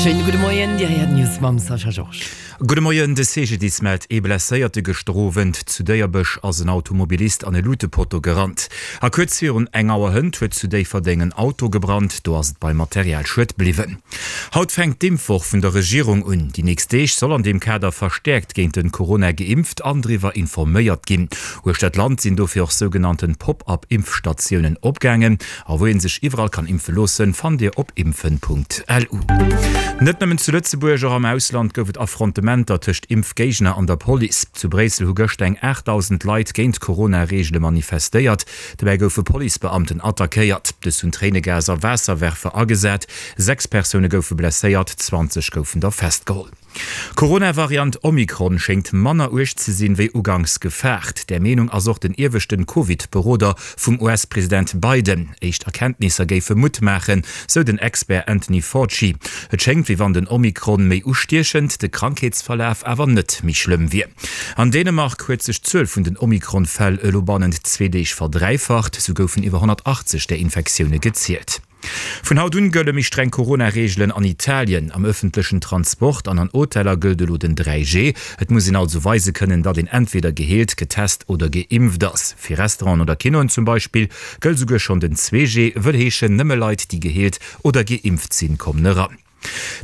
Schéine gudde Moien, Dir héiert d'News mam Sascha Georges. Gudde Moien, De CGDIS mellt ee Blesséierte. Gëschter Owend zu Déierbech ass en Automobilist an e Lutepotto gerannt. A kuerz virun eng Auer hënt huet zu Déifferdeng en Auto gebrannt. Do ass et beim Materialschued bliwwen. Haut fänkt d'Impfwoch vun der Regierung un. Déi nächst Deeg soll an deem Kader verstäerkt géint den Corona geimpft an driwwer informéiert ginn. Uechter d'Land sinn dofir och sougenannten Pop-up-Impfstatiounen opgaangen. A wou een sech iwwerall kann impfe loossen, fannt dir op impfen.lu. Net nëmmen zu Lëtzebuerg, och am Ausland gouf et Affrontementer tëscht Impfgéigner an der Police. Zu Bréissel hu gëschter eng 8.000 Leit géint d'Corona-Reegele manifestéiert. Dobäi goufe Policebeamten attackéiert. Dës hunn Tréinegas a Waasserwerfer agesat. 6 Persoune goufe blesséiert, 20 goufen der festgeholl. D'Corona-Variant Omikron schéngt manner uerg ze sinn, wéi uganks gefaart. Där Meenung ass och den ieweschten Covid-Beroder vum US-President Biden. Éischt Erkenntnisser géife Mutt maachen, sou den Expert Anthony Fauci. Et schéngt, wéi wann den Omikron méi ustiechend, de Krankheetsverlaf awer net méi schlëmm wier. An Dänemark huet sech d'Zuel vun den Omikron-Fäll elo bannent zwee Deeg verdräifacht. Sou goufen iwwer 180 där Infektioune gezielt. Vun haut un gëlle méi streng Corona-Reegelen an Italien. Am ëffentlechen Transport an an Hoteller gëllt elo den 3G. Et muss een also weise kënnen, datt een entweder geheelt, getest oder geimpft ass. Fir Restauranten oder Kinoen zum Beispill gëllt esouguer schonn den 2G, wëll heeschen, nëmme Leit, déi geheelt oder geimpft sinn, kommen eran.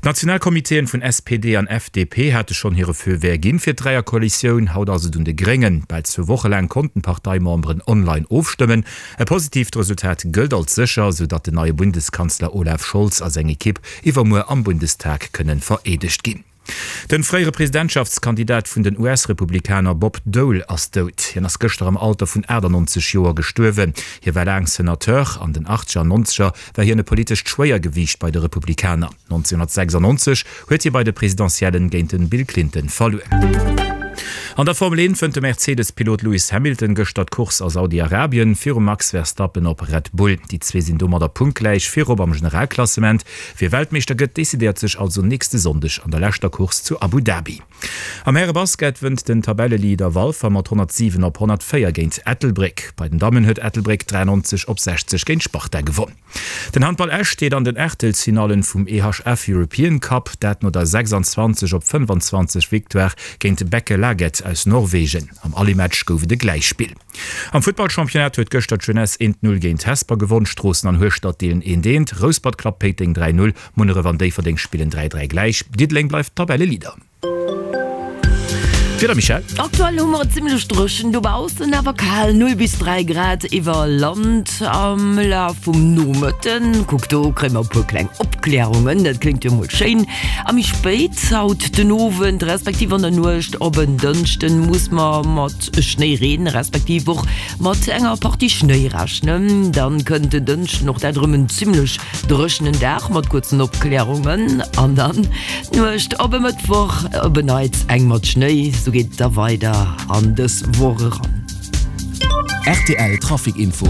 D'Nationalcomitéen vun SPD an FDP hate schonn hire Feu vert ginn fir d'Dräierkoalitioun. Haut ass et un de Gréngen. Bal zwou Woche laang konnten d'Parteimemberen online ofstëmmen. E positiivt Resultat gëllt als sécher, sou datt den neie Bundeskanzler Olaf Scholz a seng Ekipp iwwermuer am Bundestag kënnen vereedegt ginn. Den fréiere Presidentschaftskandidat vun den US-Republikaner Bob Dole ass dout. Hien ass gëschter am Alter vun 98 Joer gestuerwen. Hie war laang Senateur. An den Achtzeger an Nonzeger war hien e politescht Schwéiergewiicht bei de Republikaner. 1996 huet hie bei de Presidentiellen géint de Bill Clinton verluer. An der Formel 1 wënnt de Mercedes-Pilot Lewis Hamilton gëschter d'Course a Saudi-Arabien virum Max Verstappen op Red Bull. Déi zwee sinn domadder punktgläich virop am Generalklassement. Wie Weltmeeschter gëtt, decidéiert sech also nächste Sonndeg an der leschter Course zu Abu Dhabi. Am Härebasket wënnt den Tabelleleader Walfer mat 107 op 104 géint Ettelbréck. Bei den Dammen huet Ettelbréck 93 op 60 géint Sparta gewonn. Den Handball Esch steet an den Aachtelsfinallen vum EHF European Cup, dat no der 26 op 25 Victoire géint Bekkelaget aus Norwegen. Am Aller-Match gouf et e Gläichspill. Am Futtballchampionnat huet gëschter d'Jeunesse 1, 0 géint Hesper gewonn. Stroossen an Hueschtert deelen 1, 1, Rouspert klappt Péiteng 3, 0, Munneref an Déifferdeng spillen 3, 3 gläich. Diddeleng bleift Tabelleleader. D'Wieder, Michèle? Aktuell hu mer et zimmlech dréchen dobaussen, awer kal, 0 bis 3 Grad iwwer Land. Am Laf vum Nomëtten, kuck do, kréie mer e puer kleng Opklärungen, dat kléngt jo mol schéin. A méi spéit haut den Owend respektiv an der Nuecht op en Dënschden muss mer mat Schnéireen, respektiv och mat enger Partie Schnéi rechnen. Dann kënnt den Dënschden och dat erëm en zimmlech dréchenen Dag mat kuerzen Opklärungen an dann d'Nuecht op e Mëttwoch op en Neits eng mat Schnéi. Sou geet et da weider an dës Woch eran. Rtl Trafic Info.